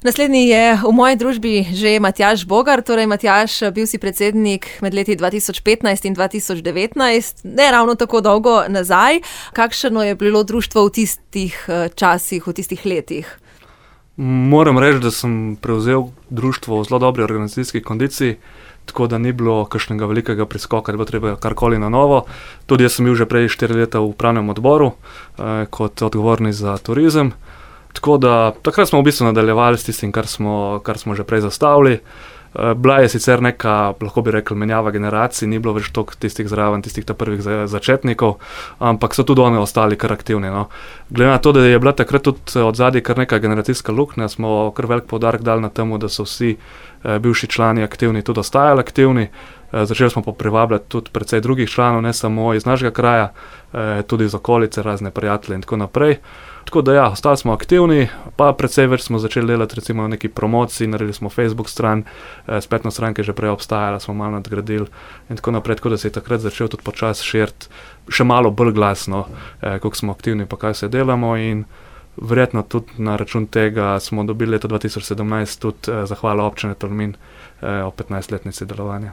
Naslednji je v moji družbi že Matjaž Bogar. Torej, Matjaž, bil si predsednik med leti 2015 in 2019, ne ravno tako dolgo nazaj. Kakšno je bilo društvo v tistih časih, v tistih letih? Moram reči, da sem prevzel društvo v zelo dobri organizacijski kondiciji, tako da ni bilo kakšnega velikega preskoka, da bo treba karkoli na novo. Tudi jaz sem bil že prej 4 leta v upravnem odboru kot odgovorni za turizem. Tako da takrat smo v bistvu nadaljevali s tistim, kar smo že prej zastavili. Bila je sicer neka, lahko bi rekel, menjava generacij, ni bilo več toliko tistih zraven, tistih prvih začetnikov, ampak so tudi oni ostali kar aktivni. No. Glede na to, da je bila takrat tudi od zadaj kar neka generacijska luknja, smo kar velik poudarek dali na temu, da so vsi bivši člani aktivni, tudi ostajali aktivni. Začeli smo pa privabljati tudi precej drugih članov, ne samo iz našega kraja, tudi iz okolice, razne prijatelje in tako naprej. Tako da ja, ostali smo aktivni, pa precej več smo začeli delati recimo na neki promociji, naredili smo Facebook stran, spletno stran, ki je že prej obstajala, smo malo nadgradili in tako naprej, tako da se je takrat začel tudi počasi širiti še malo bolj glasno, koliko smo aktivni pa kaj se delamo in verjetno tudi na račun tega smo dobili leta 2017 tudi zahvalo občine Tolmin o 15-letnici delovanja.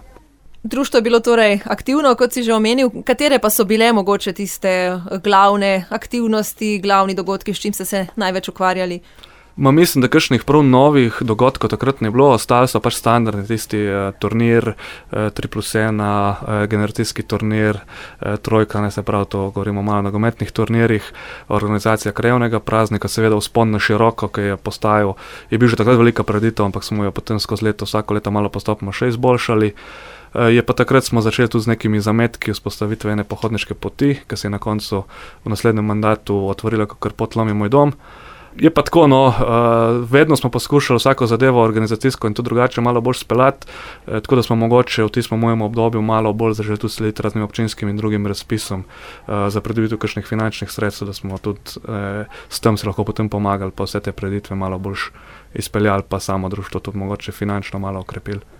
Društvo je bilo torej aktivno, kot si že omenil. Katere pa so bile mogoče tiste glavne aktivnosti, glavni dogodki, s čim ste se največ ukvarjali? Mislim, da kakšnih prav novih dogodkov takrat ne bilo, ostali so pač standardni tisti turnir, 3+1, generacijski turnir, trojka, ne se pravi, to govorimo malo o nogometnih turnirjih, organizacija krajevnega praznika, seveda vzpon na široko, ki je postajal, je bil že takrat velika prireditev, ampak smo jo potem skozi leto, vsako leto malo postopoma še izboljšali. Je pa takrat smo začeli tudi z nekimi zametki vzpostavitve ene pohodniške poti, ki se je na koncu v naslednjem mandatu otvorila kakor pot Lomi moj dom. Je pa tako, no, vedno smo poskušali vsako zadevo organizacijsko in tudi drugače malo bolj speljati, tako da smo mogoče v tistem mojem obdobju malo bolj zaželi tudi slediti raznim občinskim in drugim razpisom za pridobitev kakšnih finančnih sredstev, da smo tudi s tem se lahko potem pomagali, pa vse te prireditve malo bolj izpeljali, pa samo društvo tudi mogoče finančno malo okrepili.